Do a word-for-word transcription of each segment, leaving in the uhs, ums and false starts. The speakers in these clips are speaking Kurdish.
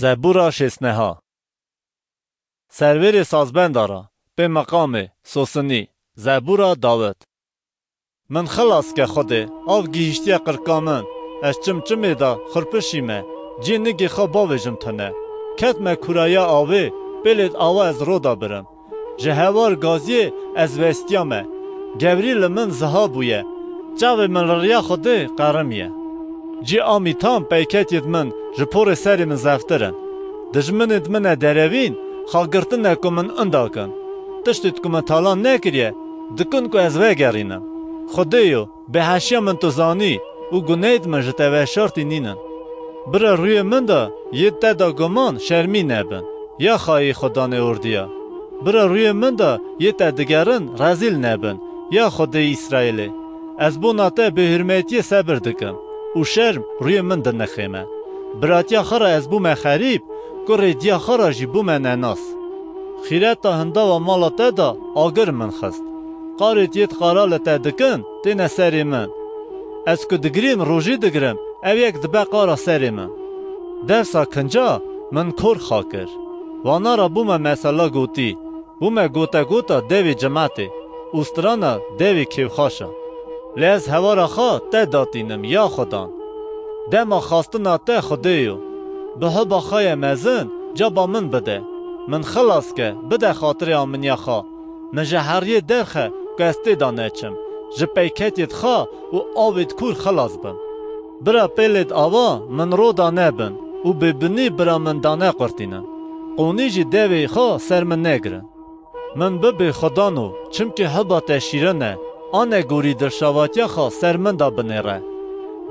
Zebûra şêstneha. Servêrê sazbenda ra, pê meqamê, sosinî, zebûra Dawid. Min xilas ke Xwedê, av gihîştiye qirka min, ez çim çimê de xurpişîme, cî nigê xwe bavêjim tune. Ketme kûraya avê, pêlêd awa ez roda birim. Ji hewar gaziyê ez westiyame. Gevrî li min ziha bûye. Çavê min li riya Xwedê qerimiye. Cî amî tam peyketyêd min ji porê serê min zeftir in. Dijminêd min e derevîn, xagirtine ku min inda kin. Tiştêd ku min talan nekiriye, dikin ku ez vegerînim. Xwedêyo, bêheşiya min tu zanî û guneyêd min ji te veşartî nînin. Bira rûyê min de yê te da guman şermî nebin, ya xayê Xudanê ordiya. Bira rûyê min de yê te digerin rezîl nebin, ya Xwedê Îsraîlê. Ez bona te bêhurmetiyê sebir dikim û şerm rûyê min dinixême. Biratiya xwe re ez bûme xerîb, kurê diya xwe re jî bûme nenas. Xîreta hindava mala te de agir min xist. Qarêd yêd qara li te dikin, têne serê min. Ez ku digirîm, rojî digirim, ev yek dibe qara serê min. Dewsa kinca min kor xa kir. Wana re bûme mesela gotî, bûme gotegota devê cimetê û strana devê kêfxaşa. Lê ez hewara xwe te datînim, ya Xudan. Dema xastina te Xwedê yo. Bi hiba xwe ye mezin, caba min bide. Min xilas ke, bide xatirê aminiya xwe. Min ji heriyê derxe ku ez tê de neçim, ji peyketiyêd xwe û avêd kûr xilas bim. Bira pêlêd ava min roda nebin û bêbinî bira min dane qurtînin. Qûnî jî devê xwe ser min negirin. Min bibê Xwedano, çimkî hiba te şîrin e, anegorî dilşavatiya xwe ser min de binêre.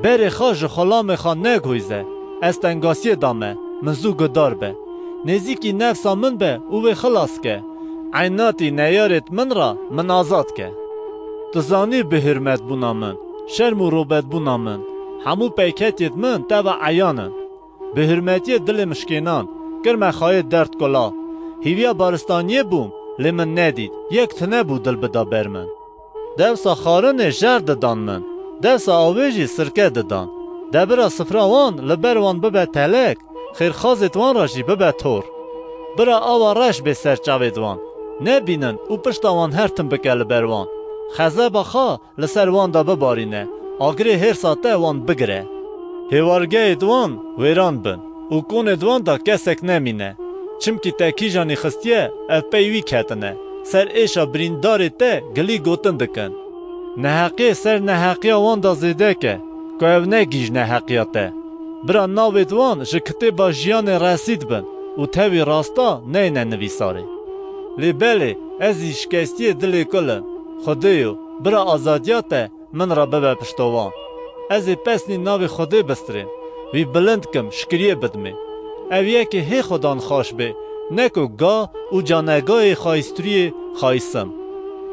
Berê xwe ji xulamê xwe neguhîze, ez tengasiyê de me, min zû gudar be. Nêzîkî nefsa min be û wê xilas ke. Eynatî neyarêd min re min azad ke. Tu zanî bihurmetbûna min, şerm û robetbûna min, hemû peyketiyêd min te ve eyan in. Bi hurmetiyê dilê min şikênan, kirme xayê derd kula. Hîviya baristaniyê bûm, lê min nedît, yek tune bû dil bida ber min. Dewsa xarinê jer didan min, dewsa avê jî sirke didan. De bira sifra wan li ber wan bibe telek, xêrxazêd wan re jî bibe tor. Bira awa reş bê ser çavêd wan, nebînin û pişta wan her tim bike li ber wan. Xezeba xwe li ser wan de bibarîne, agirê hêrsa te wan bigire. Hêwargehêd wan wêran bin û konêd wan de kesek nemîne. Çimkî te kîjanî xistiye, ev pey wî ketine, ser êşa birîndarê te gilî gotin dikin. Neheqiyê ser neheqiya wan de zêde ke, ku ev ne gîj neheqiya te. Bira navêd wan ji kitêba jiyanê resîd bin û tevî rasta neyne nivîsarê. Lê belê, ez jî şikestiyê dilê kul im. Xwedêyo, bira azadiya te min re bibe piştovan. Ez ê pesnî navê Xwedê bistirêm, wî bilind kim, şikiriyê bidimê. Ev yekê hê Xwedan xweş bê, ne ku ga û canegayê xayîstiriyê xayîsim.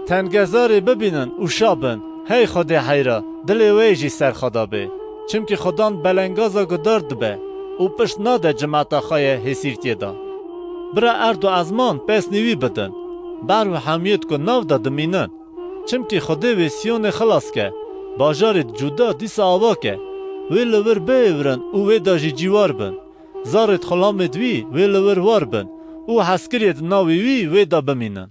Tengezarê bibînin û şa bin, hey Xwedê heyra, dilê wê jî ser xwe de bê. Çimkî Xwedan belengaza gudar dibe û pişt nade cimeta xwe ye hêsîrtiyê de. Bira erd û ezman pesnî wî bidin, behr û hemiyêd ku nav de dimînin. Çimkî Xwedê wê Siyonê xilas ke, bajarêd Cûda dîsa ava ke. Wê li wir bihêvirin û wê de jî cîwar bin. Zarêd xulamêd wî wê li wir war bin û hezkiriyêd navê wî wê de bimînin.